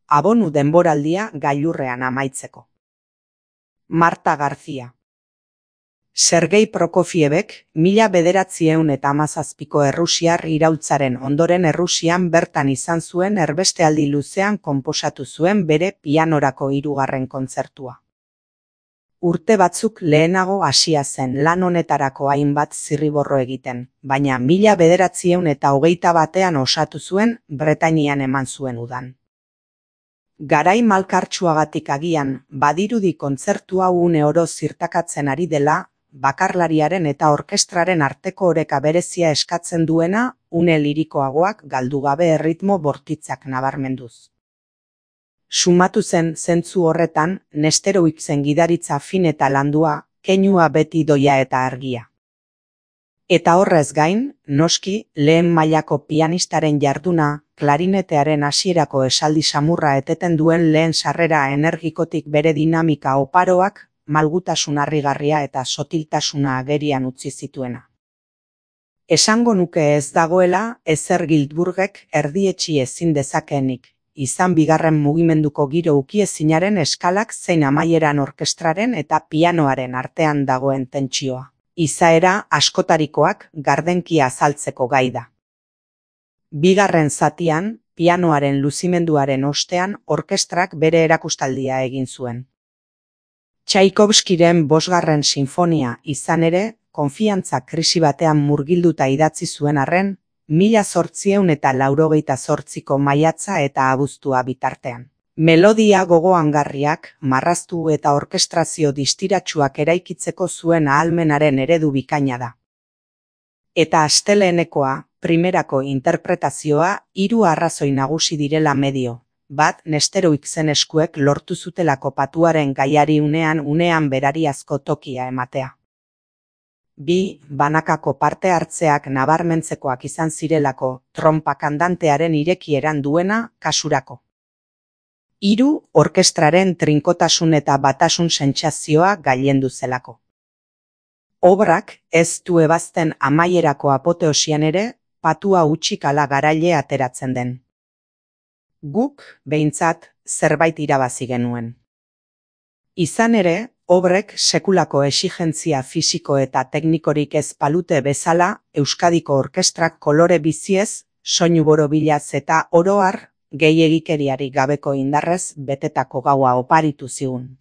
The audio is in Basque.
abonu denboraldia gailurrean amaitzeko. Marta García. Sergei Prokofievek 1917ko errusiar iraultzaren ondoren Errusian bertan izan zuen erbestealdi luzean konposatu zuen bere pianorako 3. kontzertua. Urte batzuk lehenago hasia zen lan honetarako hainbat zirriborro egiten, baina 1921ean osatu zuen Bretainian eman zuen udan. Garai malkartsuagatik agian, badirudi kontzertu hau une oro zirtakatzen ari dela, bakarlariaren eta orkestraren arteko oreka berezia eskatzen duena, une lirikoagoak galdu gabe erritmo bortitzak nabarmenduz. Sumatu zen zentzu horretan, Nesterowitzen gidaritza fin eta landua, keinua beti doia eta argia. Eta horrez gain, noski, lehen mailako pianistaren jarduna, klarinetearen hasierako esaldi samurra eteten duen lehen sarrera energikotik bere dinamika oparoak, malgutasun harrigarria eta sotiltasuna agerian utzi zituena. Esango nuke ez dagoela ezer Gildburgek erdietsi ezin dezakeenik, izan bigarren mugimenduko giro ukiezinaren eskalak zein amaieran orkestraren eta pianoaren artean dagoen tentsioa. Izaera askotarikoak gardenki azaltzeko gai da. Bigarren zatian, pianoaren luzimenduaren ostean orkestrak bere erakustaldia egin zuen. Tchaikovskiren 5. sinfonia izan ere, konfiantza krisi batean murgilduta idatzi zuen arren, 1888ko maiatza eta abuztua bitartean. Melodia gogoangarriak, marraztu eta orkestrazio distiratsuak eraikitzeko zuen ahalmenaren eredu bikaina da. Eta astelehenekoa, primerako interpretazioa, 3 arrazoi nagusi direla medio. Bat, Nesterowitzen eskuek lortu zutelako patuaren gaiari unean berariazko tokia ematea. 2, banakako parte hartzeak nabarmentzekoak izan zirelako, trompa kandantearen irekieran duena kasurako. 3, orkestraren trinkotasun eta batasun sentsazioa gailendu zelako. Obrak ez du ebazten amaierako apoteosian ere, patua hutsik ala garaile ateratzen den. Guk, behintzat, zerbait irabazi genuen. Izan ere, obrek sekulako exigentzia fisiko eta teknikorik ez palute bezala, Euskadiko orkestrak kolore biziez, soinu borobilaz eta oro har, gehiegikeriarik gabeko indarrez betetako gaua oparitu zigun.